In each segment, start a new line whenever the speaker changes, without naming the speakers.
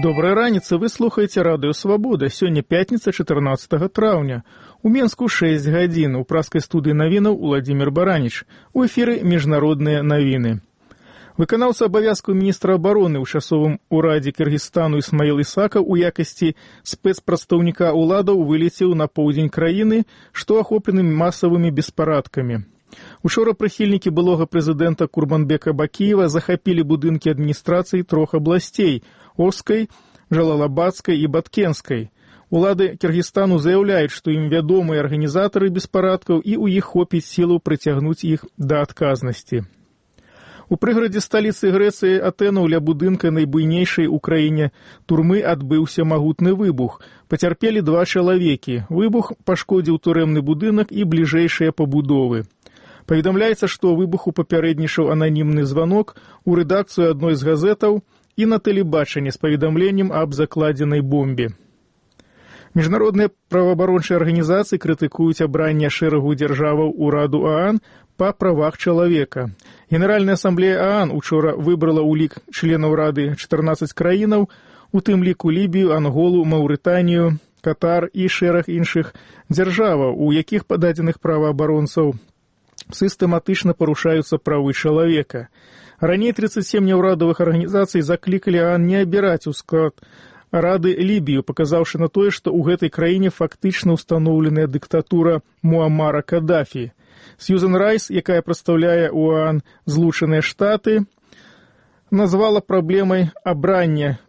Добрай раніцы, вы слухаеце радыё «Свабода». Сёння пятніца, 14 траўня. У Менску 6 гадзін. У праскай студыі навінаў Уладзімір Бараніч. У эфіры міжнародныя навіны. Выканаўца абавязкаў міністра абароны ў часовым урадзе Кыргызстану Ісмаіл Ісакаў у якасці спецпрадстаўніка ўладаў вылецеў на поўдзень краіны, што ахоплены масавымі беспарадкамі. Учора прыхільнікі былога прэзідэнта Курбанбека Бакіева захапілі будынкі адміністрацыі трох абласцей – Оскай, Жалалабадскай і Баткенскай. Улады Кыргызстану заяўляюць, што ім вядомыя арганізатары беспарадкаў і ў іх хопіць сілаў прыцягнуць іх да адказнасці. У прыгарадзе сталіцы Грэцыі Атэнаў ля будынка найбуйнейшай у краіне турмы адбыўся магутны выбух. Пацярпелі 2 чалавекі. Выбух пашкодзіў турэмны будынак і бліжэйшыя пабудовы. Паведамляецца, што выбуху папярэднічаў ананімны званок у рэдакцыю адной з газетаў і на тэлебачанні з паведамленнем аб закладзенай бомбе. Міжнародныя праваабарончыя арганізацыі крытыкуюць абранне шэрагу дзяржаваў ураду ААН па правах чалавека. Генеральная асамблея ААН учора выбрала ў лік членаў рады 14 краінаў, у тым ліку Лібію, Анголу, Маўрытанію, Катар і шэраг іншых дзяржаваў, у якіх па дадзеных праваабаронцаў сістэматычна парушаюцца правы чалавека. Раней 37 няўрадавых арганізацый заклікалі ААН не абіраць у склад рады Лібію, паказаўшы на тое, што ў гэтай краіне фактычна ўстаноўленая дыктатура Муаммара Кадафі. Сьюзен Райс, якая прадстаўляе ў ААН Злучаныя Штаты, назвала праблемай абрання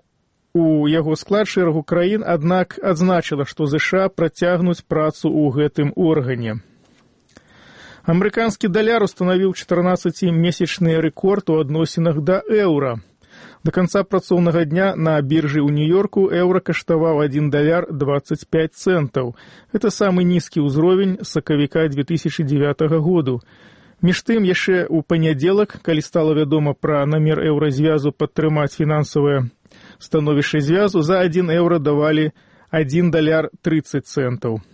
у яго склад шэрагу краін, аднак адзначыла, што ЗША працягнуць працу ў гэтым органе. Амерыканскі даляр устанавіў 14-месячны рэкорд у адносінах да еўра. Да канца працоўнага дня на біржы ў Нью-Йорку еўра каштаваў 1 даляр 25 цэнтаў. Гэта самы нізкі ўзровень з сакавіка 2009 году. Між тым, яшчэ ў панядзелак, калі стала вядома пра намер еўразвязу падтрымаць фінансавае становішча звязу, за 1 еўра давалі 1 даляр 30 цэнтаў.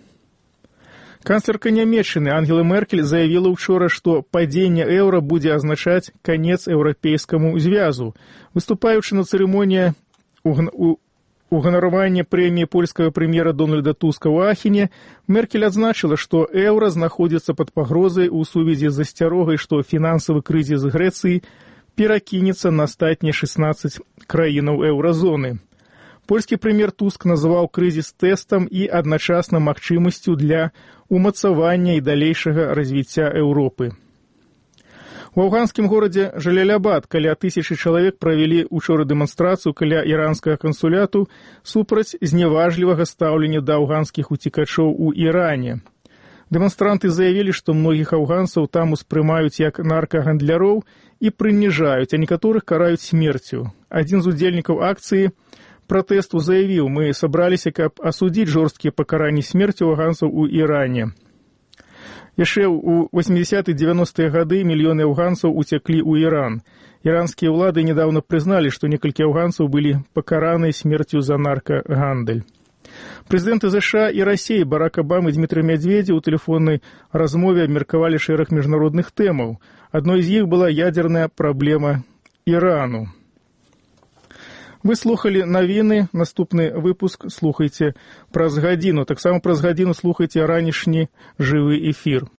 Канцлерка Нямецчыны Ангела Меркель заявіла учора, што падзенне еўра будзе азначаць канец еўрапейскаму звязу. Выступаючы на цырымоніі уганаравання прэміі польскага прэм'ера Дональда Туска ў Ахене, Меркель адзначыла, што еўра знаходзіцца пад пагрозай у сувязі з засцярогай, што фінансавы крызіс Грэцыі перакінецца на астатнія 16 краінаў еўразоны. Польскі прэм'ер Туск называў крызіс тэстам і адначасна магчымасцю для умацавання і далейшага развіцця Еўропы. У афганскім горадзе Жалалабад каля 1000 чалавек правялі учора дэманстрацыю каля іранскага кансуляту супраць зняважлівага стаўлення да афганскіх уцекачоў у Іране. Дэманстранты заявілі, што многіх афганцаў там успрымаюць як наркагандляроў і прыніжаюць, а некаторых караюць смерцю. Адзін з удзельнікаў акцыі пратэсту заявіў: «Мы сабраліся, каб асудзіць жорсткія пакаранні смерцю афганцаў у Іране». Яшчэ ў 80-90-е гады мільёны афганцаў уцеклі ў Іран. Іранскія ўлады недавно прызналі, што некалькі афганцаў былі пакараныя смерцю за наркагандаль. Прэзідэнты ЗША і Расіі Барак Абама і Дмітрый Медведзеў у тэлефоннай размове абмеркавалі шэраг міжнародных тэмаў. Адной з іх была ядзерная праблема Ірану. Вы слухалі навіны, наступны выпуск слухайце праз гадзіну. Таксама праз гадзіну слухайце ранішні жывы эфір.